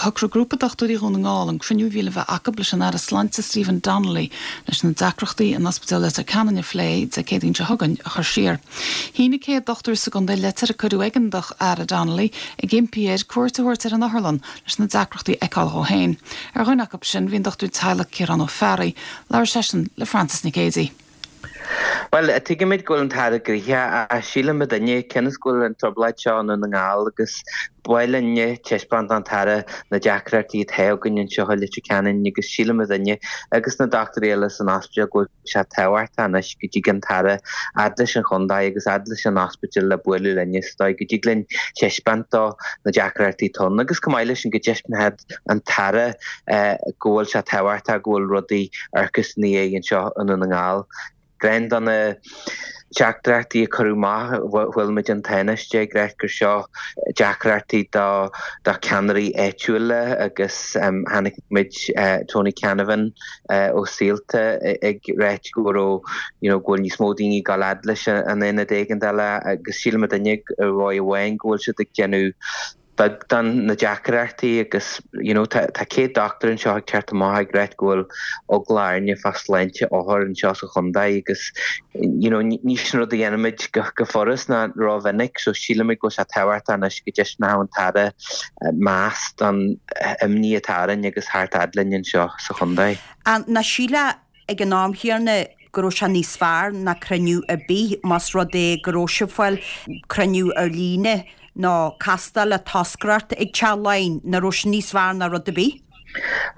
Shocraigh grúpa dochtúirí Dhún na nGall an cruinniú a bhí le bheith acu leis an Aire Sláinte Stephen Donnelly leis na deacrachtaí in Ospidéal Leitir Ceanainn a phlé Dé Céadaoin seo chugainn a chur siar. Shínigh 100 dochtúir sa gcontae leitir a cuireadh ag an Aire Donnelly ag impí air cuairt a thabhairt ar an otharlann leis na deacrachtaí a fheiceáil dhó féin. Ar dhuine acu sin bhí an dochtúir teaghlaigh Ciarán Ó Fearraigh. Labhair seisean le Frances Nic Géadaigh. Bhuel, tuigimid go bhfuil an tAire gnoitheach ach síleann muidinne, cionn is go bhfuil an trioblóid seo i nDún na nGall agus ba mhaith linne taispeáint don tAire na deacrachtaí atá againn anseo i Leitir Ceanainn agus síleann muidinne agus na dochtúirí eile san ospidéal go bhfuil sé tábhachtach anois go dtig an tAire fhad leis an chontae agus fhad leis an ospidéal le bualadh linne sa dóigh go dtig linn taispeáint dó na deacrachtaí atá ann agus chomh maith leis sin go dtaispeánfadh an tAire go bhfuil sé tábhachtach go bhfuil rudaí ag amharc ina dhiaidh anseo i nDún na nGall. Ceann de na teachtaireachtaí a cuireadh amach, bhuail muid an Tánaiste ag ráit gur seo deacrachtaí do do cheannairí áitiúla agus chonaic muid Tony Canavan ó Saolta ag ráit go raibh you know go bhfuil níos mó daoine ag dul fhad leis an aonad éigeandála agus sílim muidinne ar dhóigh amháin go bhfuil siad ag déanamh beag don na deacrachtaí agus you know tá 100 dochtúir anseo ag teacht amach ag ráit go bhfuil eagla orainne fá sláinte othar anseo sa chontae agus you know ní sin rud a dhéanaimid go go furast ná rómhinic so sílimid go bhfuil sé tábhachtach anois go dtaispeánfadh an tAire meas don imní atá orainn agus theacht fhad linn anseo sa chontae. Nach sílfeá ag an am chéanna go raibh sé níos fearr ná cruinniú ar bith más rud é go raibh sibh ag fáil cruinniú ar líne nó castáil le toscaireacht ag Teach Laighean, nach raibh sé níos fearr ná rud ar bith?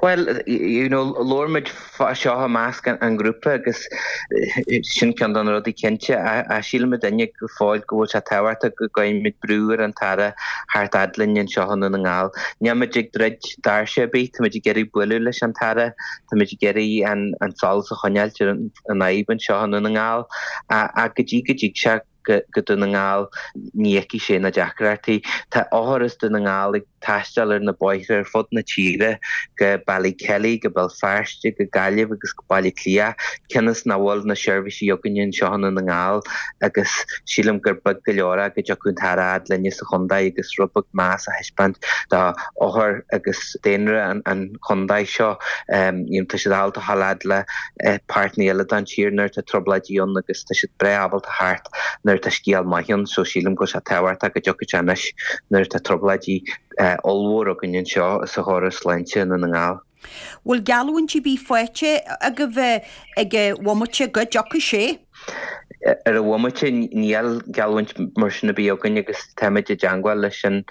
Bhuel, you know, labhair muid fá seo i measc an ghrúpa agus sin ceann de na rudaí cinnte ach síleann muidinne go fóill go bhfuil sé tábhachtach go gcuirfidh muid brú ar an tAire theacht fhad linn anseo i nDún na nGall. Níl muid ag druid doirse ar bith, tá muid ag iarraidh bualadh leis an tAire Táimid ag iarraidh an solas a choinneáilt ar an fhadhb anseo i nDún na nGall ach go dtí go dtig sé go Dún na nGall ní fheicfidh sé na deacrachtaí. Tá othair as Dún na nGall ag taisteal ar na bóithre ar fud na tíre go Ballykelly, go Béal Feirste, go Gaillimh agus go Baile Átha Cliath cionn is nach bhfuil na seirbhísí againne anseo i nDún na nGall agus sílim gur beag go leor é go dtiocfadh an tAire fhad linne sa chontae agus rud beag meas a thaispeáint do othair agus daonra an chontae seo. Tá siad ábalta a ghabháil fhad le páirteanna eile den tír nuair atá trioblóidí ann agus tá siad breá ábalta theacht nuair atá scéal maith ann so sílim go bhfuil sé tábhachtach go dtiocfaidh sé anois nuair atá trioblóidí ollmhór againn anseo sa chóras sláinte i nDún na nGall. Bhfuil geallúint ar bith faighte agaibh ag an bhomaite go dtiocfaidh sé? Ar an bhomaite níl geallúint mar sin ar bith againn agus táimid i dteangmháil leis an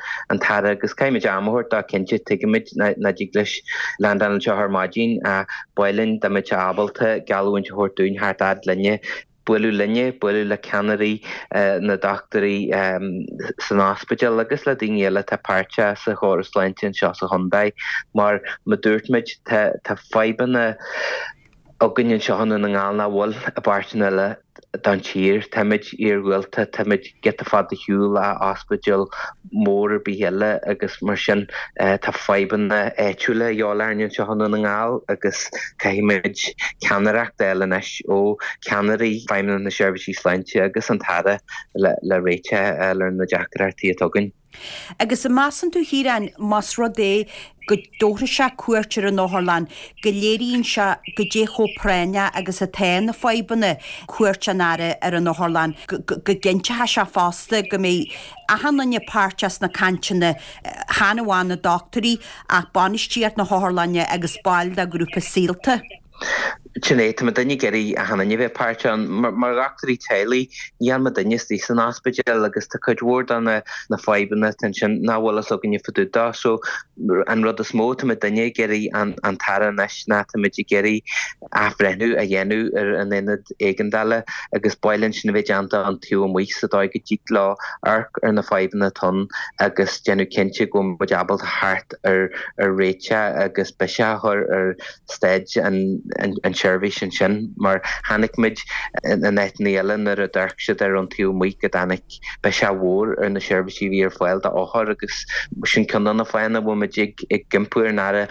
tAire agus caithfimid am a thabhairt dó cinnte. Tuigimid nach dtig leis landáil anseo ar maidin ach ba mhaith linn dá mbeadh sé ábalta geallúint a thabhairt dúinn theacht fhad linne, bualadh linne, bualadh le ceannairí na dochtúirí san ospidéal agus le daoine eile atá páirteach sa chóras sláinte anseo sa chontae. Mar mar dúirt muid tá fadhbanna againn anseo i nDún na nGall nach bhfuil i bpáirteanna eile den tír. Táimid iargúlta, táimid giota fada ar shiúl ó ospidéal mór ar bith eile agus mar sin tá fadhbanna áitiúla a dhíobháil orainn anseo i nDún na nGall agus caithfimid ceannaireacht a fháil anois ó cheannairí Feidhmeannacht na Seirbhísí Sláinte agus an tAire le réiteach a fháil ar na deacrachtaí atá againn. Agus an measann tú, a Chiaráin, más rud é go dtabharfaidh sé cuairt ar an otharlann, go léiríonn sé goidé chomh práinneach agus atá na fadhbanna, cuairt an Aire ar an otharlann, go gcinnteoidh sé fosta go mbeidh achan duine páirteach sna cainteanna, chan amháin na dochtúirí ach bainistíocht na hotharlainne agus baill de ghrúpa Saolta. Sin é, tá muidinne ag iarraidh achan duine a bheith páirteach ann. Mar dhochtúirí teaghlaigh, níl muidinne istigh san ospidéal agus tá cuid mhór de na fadhbanna atá ansin nach bhfuil fhios againne fá dtaobh dó. So, an rud is mó atá muidinne ag iarraidh an tAire anois ná táimid ag iarraidh athbhreithniú a dhéanamh ar an aonad éigeandála agus ba mhaith linn sin a bheith déanta ón taobh amuigh sa dóigh go dtig leo amharc ar na fadhbanna atá ann agus déanamh cinnte go bhfuil muid ábalta theacht ar réiteach agus biseach a chur ar staid an. tseirbhís ansin mar chonaic muid in áiteanna eile nuair a d'amharc siad air ón taobh amuigh go dtáinig biseach mhór ar na seirbhísí a bhí ar fáil d'othair agus sin ceann de na fáthanna a bhfuil muid ag impí ar an Aire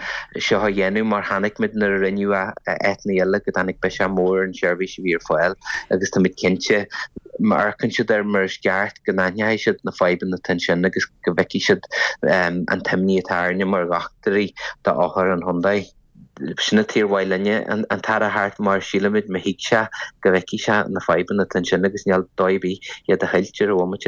seo a dhéanamh mar chonaic muid nuair a rinneadh é in áiteanna eile go dtáinig biseach mór ar an tseirbhís a bhí ar fáil agus táimid cinnte má amharcann siad air mar is ceart go n-aithneoidh siad na fadhbanna atá ansin agus go bhfeicfidh siad an t-imní atá orainne mar dhochtúirí d'othair an chontae. Sin an tuige ar mhaith linne an tAire a theacht mar sílimid má thig sé go bhfeicfidh sé na fadhbanna atá ansin agus níl dóigh ar bith iad a cheilt ar an bhomaite.